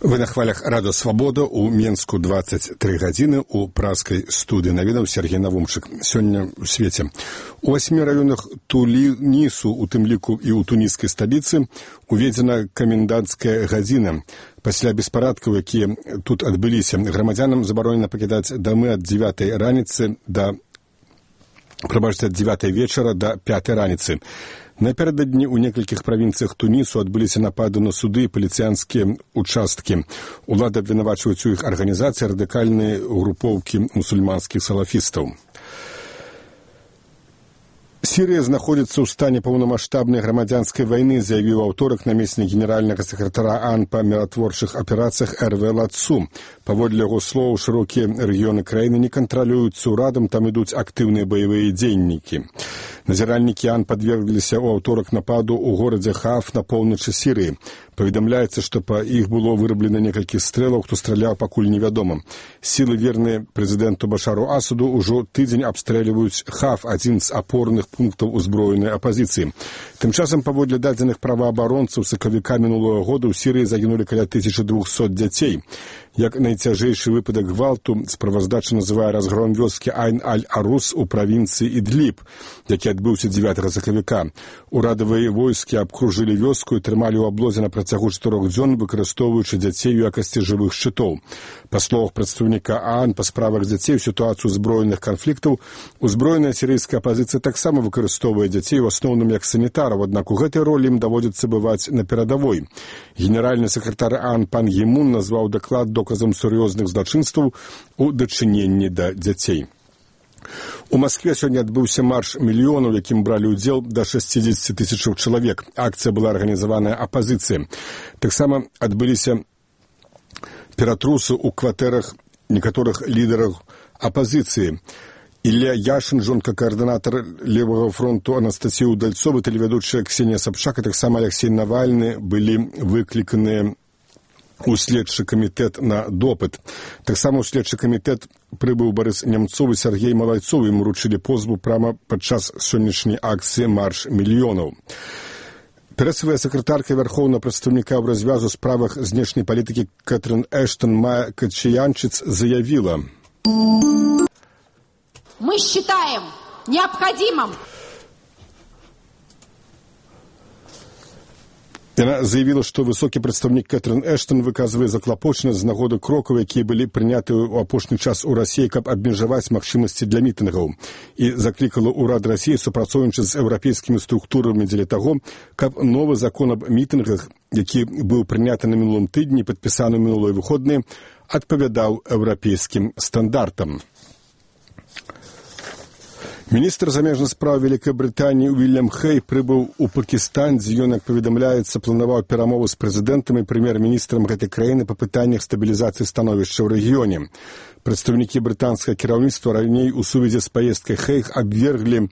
Вы на хвалях Радио Свобода у Менску 23 гадзіны у праскай студыі навінаў Сергей Навумчык. Сёння ў свеце. У 8 раёнах Тунісу, у тым ліку і ў туніскай сталіцы, уведзена каменданцкая гадзіна. Пасля беспарадкаў, якія тут адбыліся, грамадзянам забаронена пакідаць дамы ад 9 раніцы да ад 9 вечара да 5 раніцы. Напярэдадні ў некалькіх правінцыях Тунісу адбыліся напады на суды і паліцыянскія участкі. Улады абвінавачваюць у іх арганізацыі радыкальныя групоўкі мусульманскіх салафістаў. Сірыя знаходзіцца ў стане паўнамаштабнай грамадзянскай вайны, заявіў аўторак намеснік генеральнага сакратара ААН па міратворчых аперацыях Эрве Ладсу. Паводле яго слоў, шырокія рэгіёны краіны не кантралююцца ўрадам, там ідуць актыўныя баявыя дзейнікі. Назіральнікі ААН падвергліся ў аўторак нападу ў горадзе Хаф на поўначы Сірыі. Паведамляецца, што па іх было выраблена некалькі стрэлаў, хто страляў, пакуль невядома. Сілы, верныя прэзідэнту Башару Асаду, ужо тыдзень абстрэльваюць Хаф, адзін з апорных пунктаў узброенай апазіцыі. Тым часам, паводле дадзеных праваабаронцаў, сакавіка мінулого года ў Сірыі загінулі каля 1200 дзяцей. Як найцяжэйшы выпадак гвалту, справаздача называе разгром вёскі Айн-Аль-Арус у правінцыі Ідліб, які адбыўся 9 сакавіка. Урадавыя войскі абкружылі вёску і трымалі ў аблозе на працягу 4 дзён, выкарыстоўваючы дзяцей у якасці жывых шчытоў. Па словах прадстаўніка ААН па справах дзяцей у сітуацыю зброеных канфліктаў, узброеная сірыйская апазіцыя таксама выкарыстоўвае дзяцей у асноўным як санітараў, аднак у гэтай ролі ім даводзіцца бываць на перадавой. Генеральны сакратар ААН Пан Гі Мун назваў даклад доказам сур'ёзных злачынстваў у дачыненні да дзяцей. У Маскве сёння адбыўся марш мільёнаў, якім бралі ўдзел да 60 тысячаў чалавек. Акцыя была арганізаваная апазіцыяй. Таксама адбыліся ператрусы ў кватэрах некаторых лідараў апазіцыі. Ілля Яшын, жонка каардынатар Левага фронту Анастасія Удальцова, тэлевядучая Ксенія Сабчак, а таксама Алексей Навальны былі выкліканыя у следчы камітэт на допыт. Таксама ў следчы камітэт прыбыў Барыс Нямцов і Сергей Малайцов, ім уручылі позву прама падчас сённяшняй акцыі «Марш мільёнаў». Прэсавая сакратарка вярхоўнага прадстаўніка ў развязу справах знешняй палітыкі Кэтрын Эштон Майя Качаянчыц заявіла: «Мы считаем необходимым». Яна заявіла, што высокі прадстаўнік Кэтрын Эштон выказвае заклапочанасць з нагоды крокаў, якія былі прыняты ў апошні час у Расіі, каб абмежаваць магчымасці для мітынгаў, і заклікала ўрад Расіі супрацоўнічаць з еўрапейскімі структурамі дзеля таго, каб новы закон аб мітынгах, які быў прыняты на мінулым тыдні, падпісаны ў мінулыя выходныя, адпавядаў еўрапейскім стандартам. Міністр замежных спраў Вялікай Брытаніі Уільям Хэй прыбыў у Пакістан, дзе ён, як паведамляецца, планаваў перамовы з прэзідэнтам і прэм'ер-міністрам гэтай краіны па пытаннях стабілізацыі становішча ў рэгіёне. Прадстаўнікі брытанскага кіраўніцтва раней у сувязі з паездкай Хэй абверглі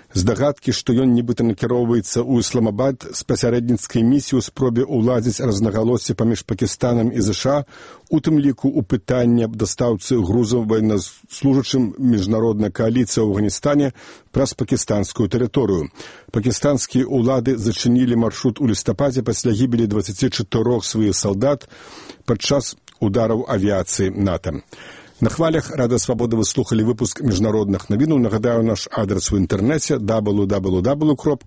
здагадкі, што ён нібыта накіроўваецца ў Ісламабад з пасярэдніцкай місіяй у спробе ўладзіць рознагалоссі паміж Пакістанам і ЗША, у тым ліку ў пытанні аб дастаўцы грузаў ваеннаслужачым міжнароднай кааліцыі ў Афганістане праз пакістанскую тэрыторыю. Пакістанскія ўлады зачынілі маршрут у лістападзе пасля гібелі 24 сваіх салдат падчас удараў авіяцыі НАТО. На хвалях Радио Свобода вы слухали выпуск міжнародных навінаў. Нагадаю, наш адрес у інтэрнэце www.swobodna.org.